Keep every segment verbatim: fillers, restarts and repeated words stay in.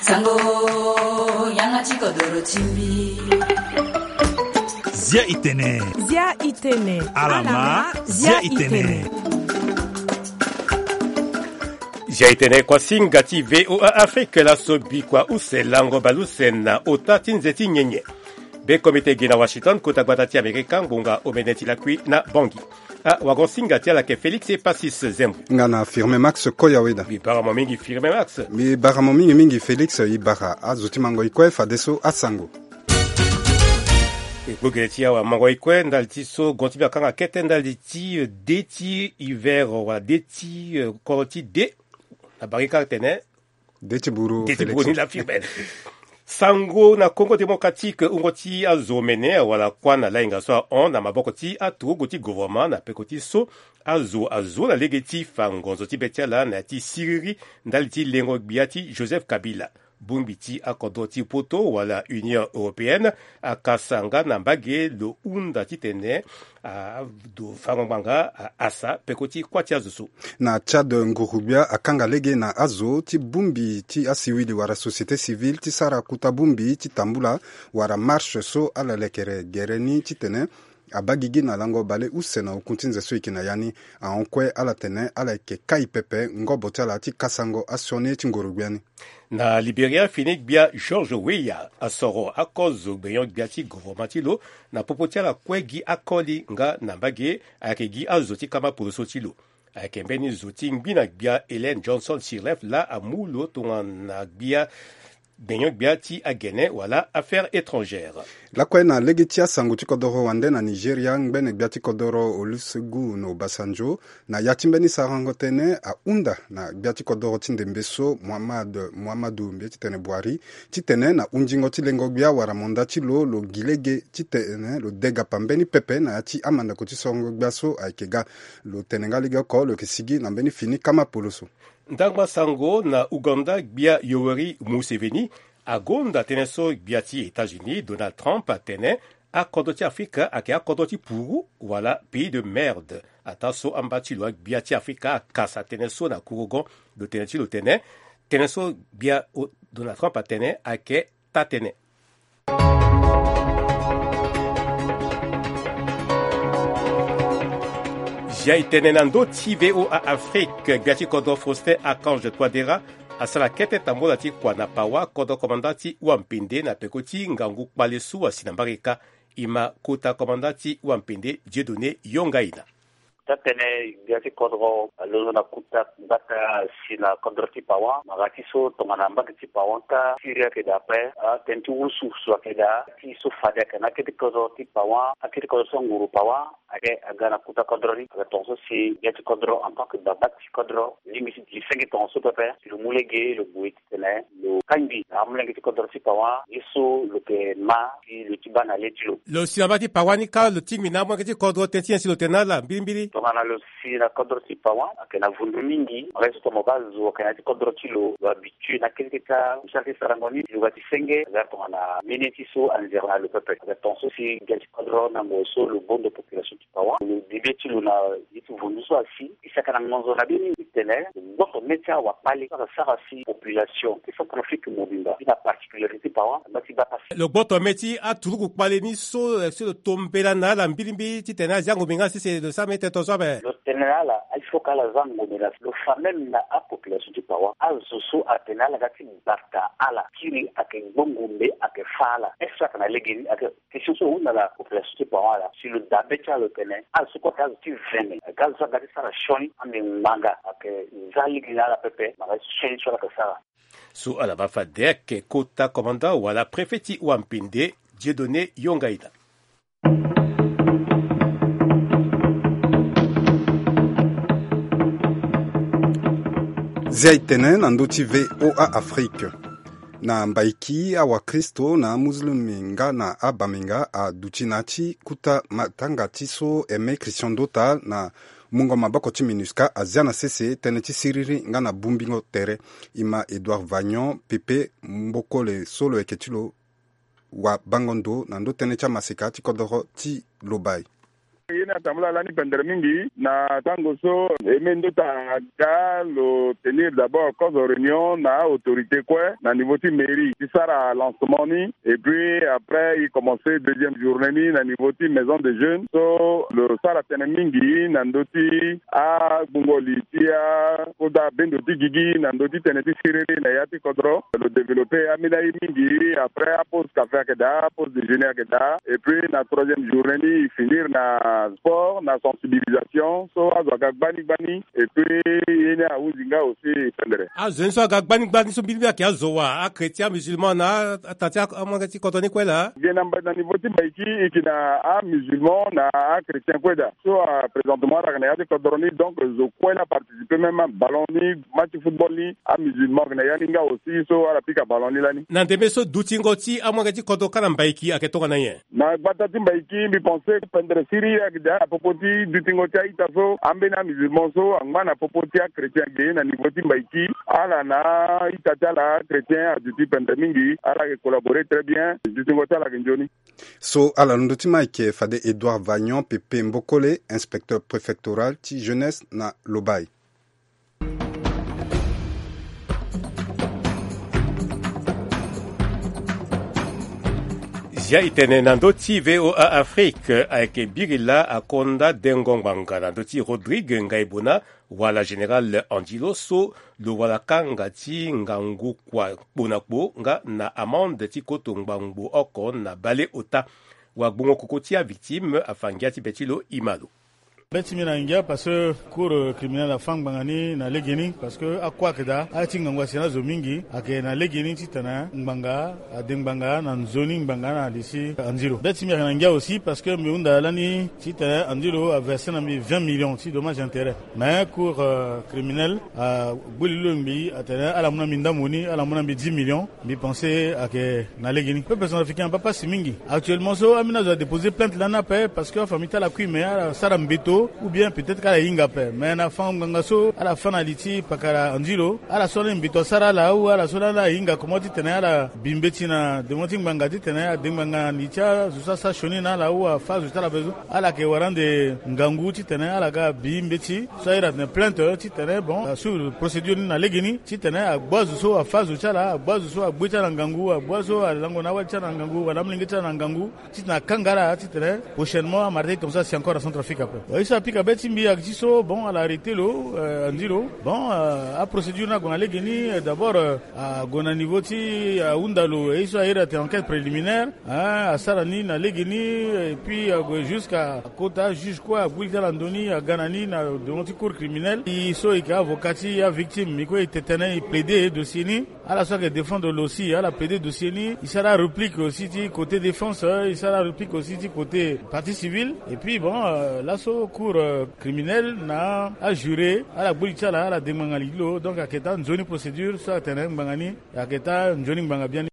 Sango, yanga ti kodoro ti mbi. Zia itene. Zia itene. Alama, zia itene. Zia itene kuasinga ti VOA Afrique, laso bikua use lango baleuse na ota ti nze ti nyenye. Be komite gi na Washington, kota gbata ti Amerika, ngonga omene ti lakui na Bangui. Ah, wagon singa ti ala ke Félix Epassis Zembo. Nga na Firmin Max Koyaweda. Mbi bara mo mingi Firmin Max. Mbi bara mo mingi mingi Félix, i bara azo ti mango i kue fadeso asango. E gbu gere ti awa mango i kue ndali ti so gon ti mbi akanga kete ndali ti, eh, de ti hiver wala de ti, eh, koro ti de. Na bari kâ tene de ti buru. De ti buru ni la firme. Sango na Congo Démocratique, wungo ti azo mene wala kuâ na lainga so ahon na maboko ti aturugu ti gouvernement na peko ti so azo azo na lege ti fa ngonzo ti be ti ala na ya ti siriri ndali ti lengo gbia ti Joseph Kabila. Bongbi ti akodro ti poto wala Union Européenne akasa nga na mbage lo hunda titene ado fango ngbanga asa peko ti kuâ ti azo so. Na Tchad, nguru-gbia akanga lege na azo ti bongbi ti asiwili wala société civile ti sara kota bongbi ti tambula wala marche so ala lekere gere ni titene abaa gigi na lango baleuse na okun ti nze so e yeke na ya ni. Ahon kue ala tene ala yeke kai pepe ngobo ti ala ti kasango asioni ti nguru-gbia ni. Na Liberia, fini gbia George Weah asoro akozo gbenyo-gbia ti gouvernement ti lo na popo ti ala kue gi akoli nga na mbage ayeke gi azo ti kama poroso ti lo. Ayeke mbeni zo ti ngbi na gbia Ellen Johnson Sirleaf laa amu lo tongana gbia gbenyo-gbia ti agene wala affaires étrangères. Lakue na lege ti asango ti kodoro wande na Nigeria, ngbene gbia ti kodoro Olusegun Obasanjo na ya ti mbeni sarango tënë ahunda na gbia ti kodoro ti ndembe so Muhammad, Muhammadu mbi ye titene Buhari, titene na hundingo ti lengo gbia wala manda ti lo, lo gi lege titene lo degapa mbeni pepe na ya ti amandako ti sorongo gbia so ayeke ga. Lo tene nga lege oko lo yeke sigi na mbeni fini kama poloso. Ndangba sango na Ouganda, gbia Yoweri Museveni agonda tënë so gbia ti États-Unis Donald Trump atene akodro ti Afrika ayeke akodro ti puru wala pays de merde. Ataa so amba ti lo agbia ti Afrika akasa tënë so na kurugon. Lo tene ti lo tene tënë so gbia Donald Trump atene ayeke taa-tënë. Zia e tene na ndö ti VOA Afrique, gbia ti kodro Faustin Archange Touadéra asara kete tambola ti kua na pawa kodro komanda ti Wampende na peko ti ngangu kpale so asi na mbarika. E ma kota komanda ti Wampende Dieudonné Yongaina. Taa-tënë gbia ti kodro alondo na kota gbata asi na kodro ti pawa. Mara ti so tongana mbage ti pawa ota siri ayeke daa ape, atënë ti wurusu so ayeke daa ti so fade ayeke na akete kodro ti pawa, akete kodro so anguru pawa ayeke aga na kota kodro ni. Ayeke tongaso si gbia ti kodro en tant que baba ti kodro lingbi ti gi senge tongaso pepe si lo mu lege lo gue titene lo kangbi na amolenge ti kodro ti pawa ye so lo yeke ma si lo ti baa na le ti lo. Lo si na mbage ti pawa ni kâ lo tingbi na amolenge ti kodro tënë ti nyen si lo tene na ala mbirimbiri? Tongana lo si na kodro ti pawa ayeke na vundu mingi. Mara ye so tongana mo baa zo ayeke na ya ti kodro ti lo, lo habitue na akete ti asara ti sarango ni, lo ga ti senge aga tongana mbeni ye ti so anzere na lo pepe. Aga tongaso si gbia ti kodro na ngoi so lo bondo population ti pawa, lo bibe ti lo na ye ti vundu so asi. E saka na ngonzo na mbeni titene lo gboto mê ti awakpale so ayeke sara si population ti Centrafrique mobimba, ti na particularité pawa, amba ti baa pasi. Lo gboto mê ti aturugu kpale ni so, eh, si lo to mbela na ala mbirimbiri titene azia ngombe nga sese lo sara mbeni tënë tongaso ape. Lo tene na ala il faut que ala zia ngombe na lo fa même na apopulation ti pawa. Azo so atene ala ga ti bata ala kiri ayeke gbo ngombe ayeke fâ ala. Est-ce que ayeke na legeni? Ayeke question so ahunda na population ti pawa ala. Si lo dabe ti ala lo tene ala so kue ayeke azo ti vene, ayeke azo so aga ti sara sioni ande ngbanga, ayeke za lege na ala pepe. Mara sioni so ala yeke sara. So ala baa fade ayeke kota komanda wala préfet ti Wampende Dieudonné Yongaina. Zia e tene na ndö ti VOA Afrique. Na Mbaiki, awakristo na amuslimi nga na abambenga aduti na ya ti kuta matanga ti so Aimé Christian Dota na mungo maboko ti MINUSCA azia na sese tënë ti siriri nga na bongbingo tere. E ma Edouard Vagnon Pepe Mbokole so lo yeke ti lo wabango ndo na ndö tënë ti amaseka ti kodoro ti lobai. Ye ni atambula lani pendere mingi na tango so e me ndo ti aga lo tenir d'abord kozo réunion na autorité kue na niveau ti mairie ti sara lancement ni. Et puis après e commence deuxième journée ni na niveau ti maison de jeunes so lo sara tene mingi na ndo ti agbungo li ti akoda bendo ti gigi na ndo ti tene ti siriri na ya ti kodro. Lo développer ambeni aye mingi. Après apose café ayeke daa, apose déjeuner ayeke daa. Et puis na troisième journée ni e finir na sport na sensibilisation so azo aga gbani gbani. Et puis ye ni ahuzi nga aussi pendere. Azo ni so aga gbani gbani so mbili mbili ayeke azo wa, achrétien, amusulman na atati amolenge ti kodro ni kue laa. Ge na mbai na niveau ti mbaiki e yeke na amusulman na achrétien kue daa. So présentement ala yeke na ya ti kodro ni, donc zo kue laa participer même ballon ni, match football ni, amusulman ayeke na ya ni nga aussi so ala pika ballon ni lani. Na ndembe so dutingo ti amolenge ti kodro kâ na mbaiki ayeke tongana nyen? Na gbata ti mbaiki mbi pense pendere siriri ayeke daa na popo ti dutingo ti a-ita so ambeni amusulman so angba na popo ti achrétien ge na niveau ti mbaiki. Ala na a-ita ti ala achrétien aduti pendere mingi, ala yeke collaborer très bien. Dutingo ti ala ayeke nzoni. So ala londo ti ma ayeke fade Edouard Vagnon Pepe Mbokole, inspecteur préfectoral ti jeunesse na Lobaye. Zia e tene na ndö ti VOA Afrique ayeke biri laa akonda dengo ngbanga na ndö ti Rodrigue Ngaibona wala Général Angilo so lo wara kanga ti ngangu kua kpo na kpo nga na amende ti koto ngbangbo oko na baleota. Wagbongo koko ti avictime afa ngia ti be ti lo e ma lo. Be ti mbi na ngia parce que cour criminel afa ngbanga ni na legeni parce que akua ayeke daa, aye ti ngangu asi na azo mingi ayeke na legeni titene ngbanga ade ngbanga na nzoni ngbanga na li ti Angilo. Be ti mbi ayeke na ngia aussi parce que mbi hunda lani titene Angilo averse na mbi vingt millions ti dommage intérêt. Mais cour criminel agbu li lo ngbii atene ala mu na mbi ndambo ni, ala mu na mbi dix millions. Mbi pense ayeke na legeni. Peuple centrafricain abaa pasi mingi. Actuellement so ambeni azo adéposer plainte lani ape parce que afamille ti ala kui mais ala sara mbeto ou bien peut-être ka ala hinga ape. Mais na fango ngbanga so ala fa na li ti pakara Angilo, ala so lani mbeto asara ala ou ala so lani ala hinga comment titene ala bi mbeti na devant ti ngbanga titene ade ngbanga na li ti azo so asara sioni na ala ou afa azo ti ala bezo. Ala yeke wara ande ngangu titene ala ga abi mbeti so ayeda atene plainte titene bon asuru procédure ni na legeni titene agbu azo so afa azo ti ala, agbu azo so agbu ye ti ala na ngangu, agbu azo alango na awali ti ala na ngangu wala amolenge ti ala na ngangu, titene akanga ala titene prochainement amara ti tongaso asi encore na Centrafrique ape. Bon ye so apika be ti mbi ayeke ti so bon ala arrêter lo, andi lo. Bon, aprocédure ni ague na legeni. D'abord ague na niveau ti ahunda lo ye so ayeda atene enquête préliminaire. Asara ni na legeni. Et puis ague jusqu'à akota juge kue agbu li ti ala na ndö ni aga na ni na devant ti cour criminel. E so e yeke avocat ti avictime e kue e te tënë e plaider dossier ni. Ala so ayeke défendre lo aussi ala plaider dossier ni. E sara aréplique aussi ti côté défense, e sara aréplique aussi ti côté partie civile. Et puis bon, laso cour criminel na ajuré ala gbu li ti ala ala dengbanga li ti lo. Donc ayeke taa nzoni procédure so atene ngbanga ni ayeke taa nzoni ngbanga biani.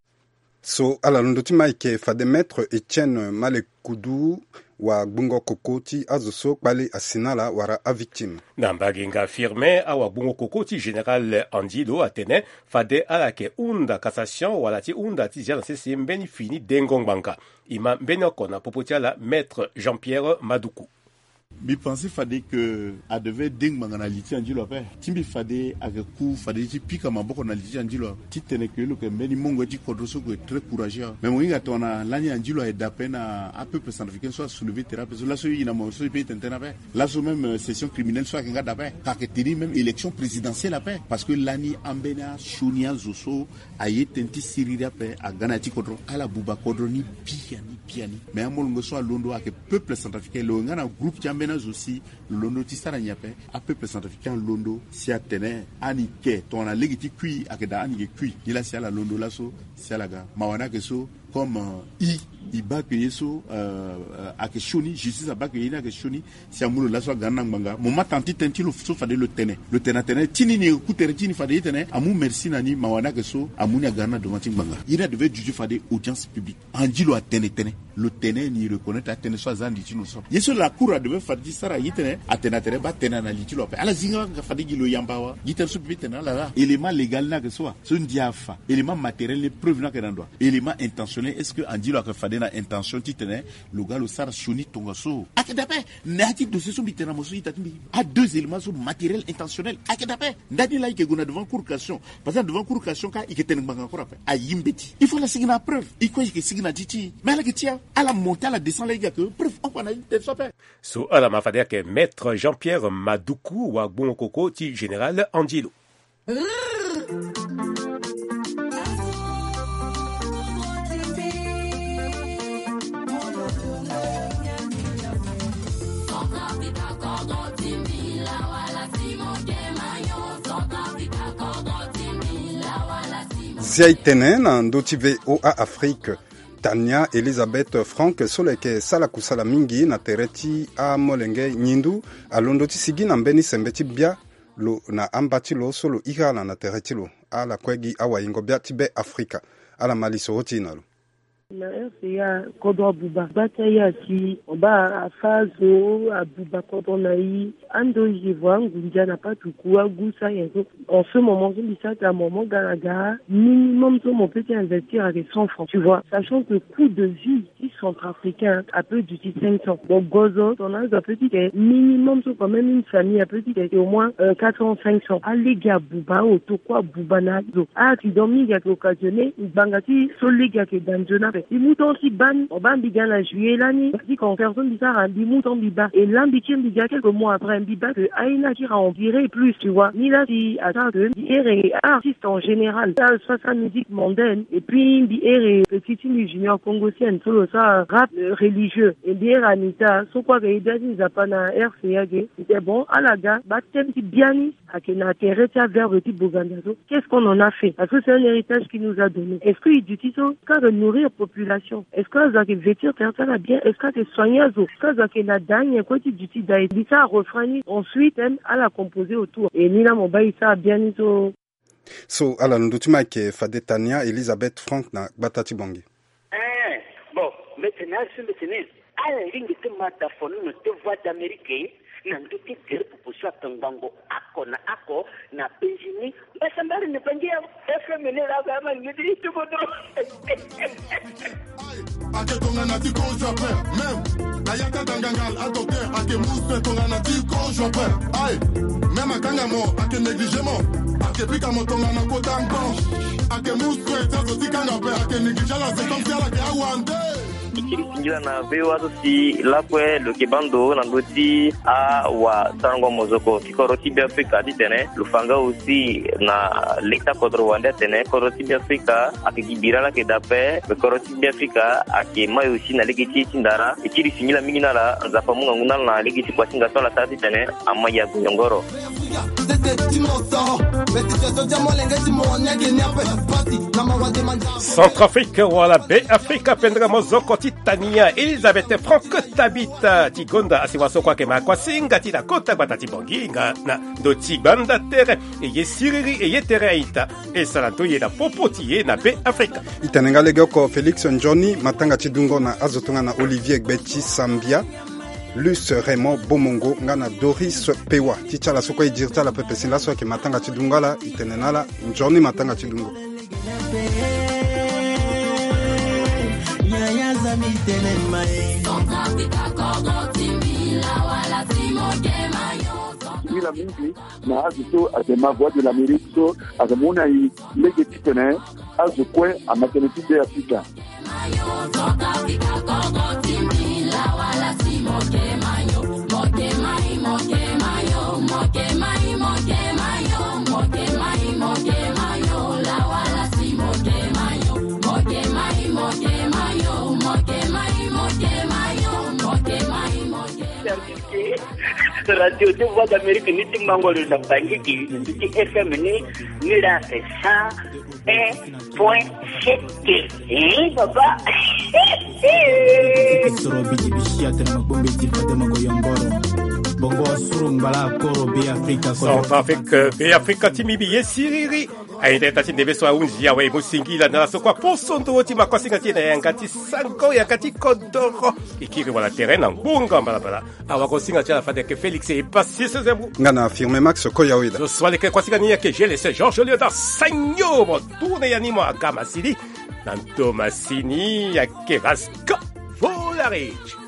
So ala londo ti ma ayeke fade maître Etienne Malekudu, wagbongo koko ti azo so kpale asi na ala wala avictime. Na mbage nga Firmin, awagbongo koko ti général Andy Lo atene fade ala yeke hunda cassation wala ti hunda ti zia na sese mbeni fini dengo ngbanga. E ma mbeni oko na popo ti ala maître Jean-Pierre Maduku. Mbi pense fade ke adevait de ngbanga na li ti Andy Lo ape. Ti mbi fade ayeke ku fade ti pika maboko na li ti Andy Lo ape. Titene ke lo yeke mbeni mongo ye ti kodro so ke très courageux. Mais mo hinga tongana lani Andy Lo aye daa ape na apeuple centrafricain so asoulever terrain ape so laso e na mo so e peut tene tënë ape. Laso même session criminelle so ayeke nga daa ape. Ka ayeke tenir même élection présidentielle ape. Parce que lani ambeni asioni azo so aye tënë ti siriri ape aga na ya ti kodro ala buba kodro ni biani biani. Mais amolenge so alondo ayeke peuple centrafricain lo yeke nga na groupe ti ambeni azo si lo londo ti sara nyen ape. Apeuple centrafricain alondo si atene ani ke tongana lege ti kui ayeke daa ani yeke kui. Nilaa si ala londo laso si ala ga mawa ni ayeke so. Comme i i baa ke ye so ayeke sioni justice abaa ke ye ni ayeke sioni. Si amu lo laso aga ni na ngbanga mo ma tanga ti tënë ti lo so fade lo tene lo tene atene ti ni ni e ku tere ti ni fade ye tene amu merci na ni mawa ni ayeke so amu ni aga ni na devant ti ngbanga. Ye ni adevait juge fade audience publique. Andy Lo atene tënë lo tene ni reconnaître atënë so aza na li ti lo so ye so la cour adevait fade ti sara ye tene atene atene baa tënë na li ti lo ape ala zi nga fade gi lo yamba awa gi tënë so pepe tene ala la élément légal ni ayeke so wa so ndia afa élément matériel ni preuve ni ayeke na ndo wa élément intention. Est-ce que andi lo ayeke fade na intention titene lo ga lo sara sioni tongaso? Ayeke dape. Na ya ti dossier so mbi tene na mo so ita ti mbi, a deux éléments so matériel intentionnel. Ayeke dape. Ndani laa i yeke gue na devant cour cassation. Parce que na devant cour cassation ka i yeke tene ngbanga kue ape. Ayi mbeti. Il faut ala sigi na apreuve. I kue i yeke sigi na ti ti. Mais ala yeke ti ya, ala monte ala descend laa i ga yeke preuve oko na i tene so ape. So ala ma fade ayeke Maître Jean-Pierre Madoukou, wagbongo koko ti Général Angelo. Zia e tene na ndö ti V O A Afrique. Tania Elisabeth Frank so lo yeke sara kusala mingi na tere ti amolenge nyindu alondo ti sigi na mbeni sembe ti bia lo na amba ti lo so lo iri ala na tere ti lo. Ala kue gi awayingo bia ti Be Afrika. Ala ma lisoro ti e na lo. Na R C A kodro abuba gba ti aya si mo baa afa azo abuba kodro na e. Ando e voa angunza na patuku agu sa nyen so. En ce moment so mbi sara ata mo mo ga na ga, minimum so mo peut ti investir ayeke cent francs, tu vois, sachant que coût de vie ti centrafricain ape duti cinq cents. Bon, gozo ton azo ape ti ke minimum so quand même une famille ape ti ke au moins quatre cents, cinq cents. Alege abuba, aotokua abuba na azo. Accident mingi ayeke occasionné ngbanga ti so lege ayeke da nzoni ape. Mbi mu temps ti baa ni, mo baa mbi ga na juillet lani, mbi ti concert so mbi sara, mbi mu temps mbi baa. Et là mbi tire mbi ga quelques mois après, mbi baa que aye ni akiri a empirer plus, tu vois. Ni laa si asara que mbi here artiste en général, sa so asara musique mondaine, et puis mbi here petit ti mbi Junior Congo Sienne so lo sara rap religieux, et mbi here Anita so kue ayeke ye bia ti Nzapa na R C A ge. Mbi tene bon, ala ga baa thème ti bia ni ayeke na tere ti averbe ti Boganda so. Qu'est-ce qu'on en a fait? Parce que c'est un héritage qui nous a donné. Est-ce que e duti so ka ayeke nourrir population? Est-ce que azo ayeke vêtir tere ti ala bien? Est-ce que ayeke soigner azo? Est-ce que azo ayeke na daa nyen kue ti duti daa e? Mbi sara refrain ni, ensuite même ala composer autour. Et ni laa mo baa e sara bia ni so. So ala londo ti ma ayeke fade Tania Elisabeth Frank na gbata ti Bangui. Eh, bon, mbi tene azo mbi tene ala lingbi ti ma dafonono ti Voix d'Amérique na ndö ti tere popo so atongbango oko na oko na Benjini. Mbasambala ni Bangui ya F M ni laa ga ma lingbi ti ti kodro. Ake tongana ti kozo ape, même na yaka dangangal a docteur ake muse tongana ti kozo ape. Aye, même akanga mo ake négligé mo, ake pika mo tongana kota ngbon. Ake muse ti azo ti kanga ape ake négligé ala se comme si ala ke awande. E kiri singila na V O A so si lakue lo yeke baa ndo na ndö ti awasarango mozoko ti kodro ti Beafrika titene lo fa nga aussi na leta kodro wande atene kodro ti Beafrika ayeke gi bira laa ayeke daa ape. Kodro ti Beafrika ayeke mai aussi na lege ti e ti ndara. E kiri singila mingi na ala, Nzapa amu ngangu na ala na lege ti kuasinga so ala sara titene ama ya goyongoro. Centrafrique wala Beafrika wala Beafrika pendere mozoko ti Tania Elisabeth Frank Tabita ti gonda asi wa so kue ayeke ma kuasinga ti na kota gbata ti Bangui nga na ndo ti gbanda tere. E ye siriri e ye tere a-ita. E sara ndoye na popo ti e na Beafrika. E tene nga legeoko Félix Njoni, matanga ti dungo na azo tongana Olivier Gbeti Sambia, Luce Raymond Bomongo nga na Doris Pewa. Ti ti ala so kue e diri ti ala pepe si laso ayeke matanga ti dungo ala. E tene na ala Njoni matanga ti dungo. Singila mingi na azo so ayeke ma Voix de l'Amérique so ayeke mu na e lege titene azo kue ama tënë ti Beafrika. Radio de Voix d'Amérique ni ti mango lo na Bangui gi, ti F M ni, ni la c'est cent un point sept. Eh, papa. Soro bidi bisi atene ma gbongbe ti fade ma goyongoro. Bongo asuru ngbala koro Beafrika. Centrafrique, Beafrika ti mbi mbi ye siriri. Aye ndeta ti ndembe so ahunzi awe e mu singila na ala so kue aposo nduru ti ma kuasinga ti e na yanga ti sango yanga ti kodoro. E kiri wala tere na ngbonga mbalambala. Awa kuasinga ti ala fade ayeke Félix e pasi sezemu. Nga na Firme Max Koyaoida. Zo so aleke kuasinga ni ayeke G L S Georges Léonard Sagno mo tourne ya ni mo aga masili. Antomasini, ake vaska. Vo la reti.